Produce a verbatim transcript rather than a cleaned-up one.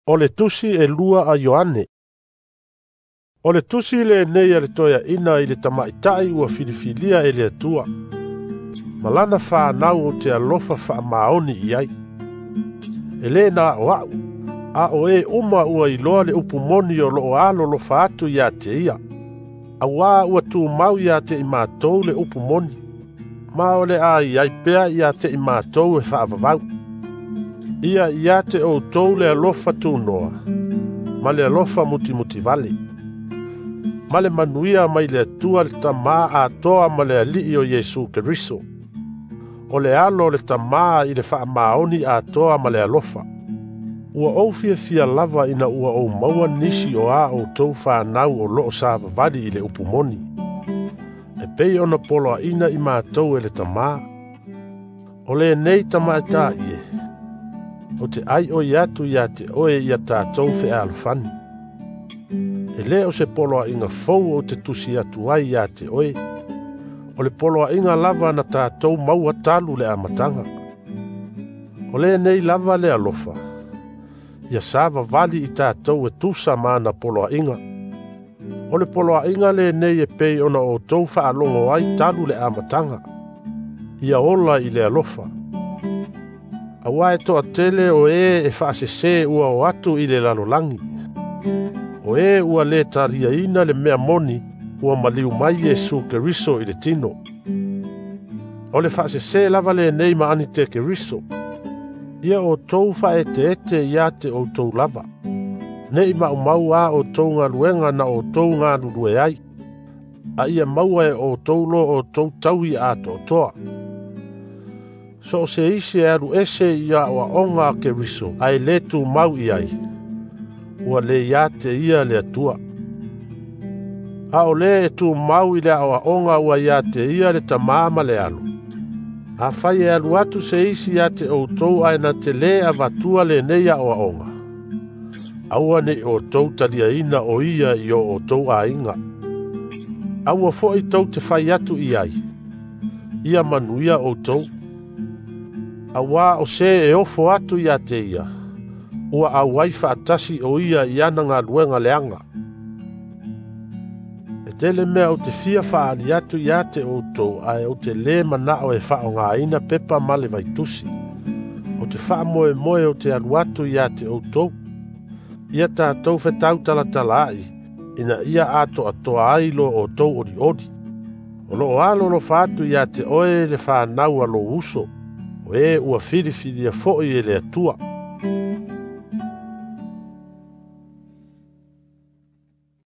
O le tusi e lua a Ioane. O le tusi lenei a le toeaina i le tamaitai ua filifilia e le Atua. Ma lana whanau o te alofa whaamaoni i ai. E le nā o au, a o e uma ua iloa le upu moni o loo alo lofa atu ia te ia. Auā ua tūmau ia te i mātou le upu moni. Ma o le a i ai pea ia te i mātou e whaavavau. Ia ia te o tou le alofa tūnoa, ma le alofa mutimuti vale. Ma le manuia mai le Atua le tamā atoa ma le alii o Iesu Keriso. O le alo le tamā i le whaamaoni atoa ma le alofa. Ua ou fiafia lava ina ua ou maua nisi o a o tou whanau o loo savavali i le upu moni. E pei ona poloaina i mātou e le tamā. O le nei tamaita ie. O te ai o iatu ia te oe ia tātou whealofani. E le o se poloa inga fou o te tusi atu ai ia te oe. O le poloa inga lava na tātou maua talu le amatanga. O le nei lava le alofa. Ia savavali i tātou e tusa mana poloa inga. O le poloa inga le nei e pei ona o tou whaalongo ai talu le amatanga. Ia ola i le alofa. Aua e toa tele o e e whaasese ua o atu i le lalolangi. O e ua le talia ina le mea moni ua maliu mai Iesu Keriso i le tino. O le whaasese lava le nei ma ani te Keriso. Ia o tou whaete ete ia te o tou lava. Nei ma umau a o tou ngaluenga na o tou ngalulue ai. A ia maua e o tou lo o tou taui a to toa. So se isi e alu ese ia o aonga a Keriso, a e le tū mau i ai. Ua le ia te ia le Atua. A o le e tū mau i le o aonga ua ia te ia le tamā ma le alu. A whai e alu atu se isi ia te o tou ae na te le avatua le nei a o aonga. Aua nei o tou talia ina o ia i o o tou ainga. Aua foi tou te whai atu i ai. Ia manuia o tou. Aua o se e ofo atu ia te ia. Ua auai whaatasi o ia i ana ngā luenga leanga. E tele mea o te fia whaali atu ia te o tou ae o te le manao e whao ngā ina pepa male vaitusi. O te whaamoe moe o te alu atu ia te o tou. Ia tātou whetau talatala ai, ina ia ato atoa ai lo o tou ori ori. O lo o alo lo whaatu ia te oe le whanau a lo uso. O e ua whiriwhiria foi e le Atua.